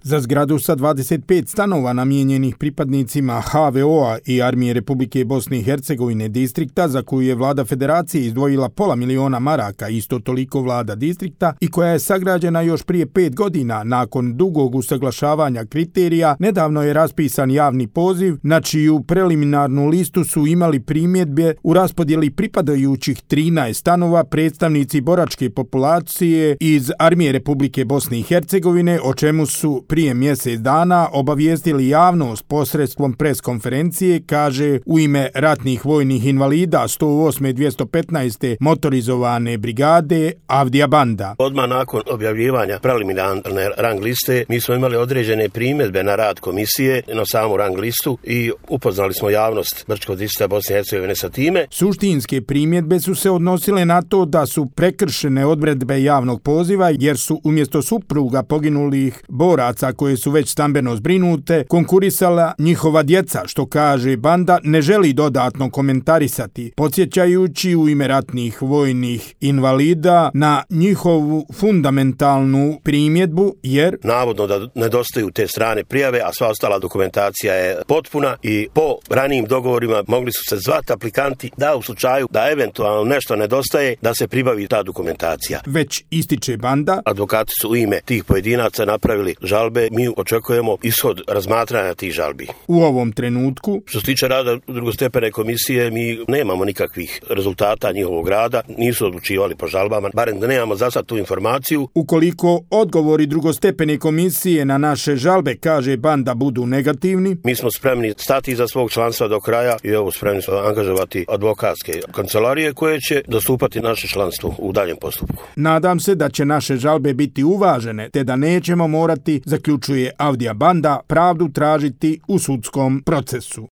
Za zgradu sa 25 stanova namijenjenih pripadnicima HVO-a i Armije Republike Bosne i Hercegovine distrikta, za koju je vlada federacije izdvojila $500.000, isto toliko vlada distrikta, i koja je sagrađena još prije 5 godina nakon dugog usaglašavanja kriterija, nedavno je raspisan javni poziv na čiju preliminarnu listu su imali primjedbe u raspodjeli pripadajućih 13 stanova predstavnici boračke populacije iz Armije Republike Bosne i Hercegovine, o čemu su prije mjesec dana obavijestili javnost posredstvom preskonferencije, kaže u ime ratnih vojnih invalida 108. 215. motorizovane brigade Avdija Banda. Odmah nakon objavljivanja preliminarne rang liste mi smo imali određene primjedbe na rad komisije, na samu rang listu, i upoznali smo javnost Brčkog distrikta Bosne i Hercegovine sa time. Suštinske primjedbe su se odnosile na to da su prekršene odredbe javnog poziva jer su umjesto supruga poginulih boraca koje su već stambeno zbrinute konkurisala njihova djeca, što kaže Banda ne želi dodatno komentarisati, podsjećajući u ime ratnih vojnih invalida na njihovu fundamentalnu primjedbu jer navodno da nedostaju te strane prijave, a sva ostala dokumentacija je potpuna i po ranijim dogovorima mogli su se zvati aplikanti da u slučaju da eventualno nešto nedostaje da se pribavi ta dokumentacija. Već ističe Banda. Advokati su u ime tih pojedinaca napravili žalbe, mi očekujemo ishod razmatranja tih žalbi. U ovom trenutku, što se tiče rada drugostepene komisije, mi nemamo nikakvih rezultata njihovog rada, nisu odlučivali po žalbama, barem da nemamo za sad tu informaciju. Ukoliko odgovori drugostepene komisije na naše žalbe, kaže Banda, budu negativni, mi smo spremni stati iza svog članstva do kraja i spremni smo angažovati advokatske kancelarije koje će dostupati naše članstvo u daljem postupku. Nadam se da će naše žalbe biti uvažene, te da nećemo morati, zaključuje Avdija Banda, pravdu tražiti u sudskom procesu.